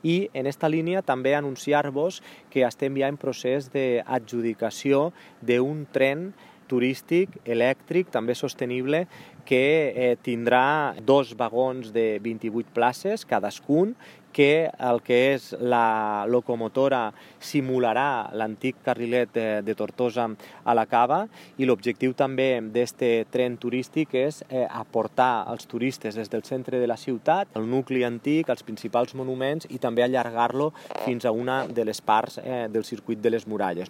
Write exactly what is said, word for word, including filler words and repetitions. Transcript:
i en esta línia també anunciar-vos que estem ja en procés d'adjudicació d'un tren turístic, elèctric, també sostenible, que eh, tindrà dos vagons de vint-i-vuit places cadascun, que el que és la locomotora simularà l'antic carrilet de, de Tortosa a la Cava, i l'objectiu també d'aquest tren turístic és eh, aportar als turistes des del centre de la ciutat, el nucli antic, els principals monuments, i també allargar-lo fins a una de les parts eh, del circuit de les muralles.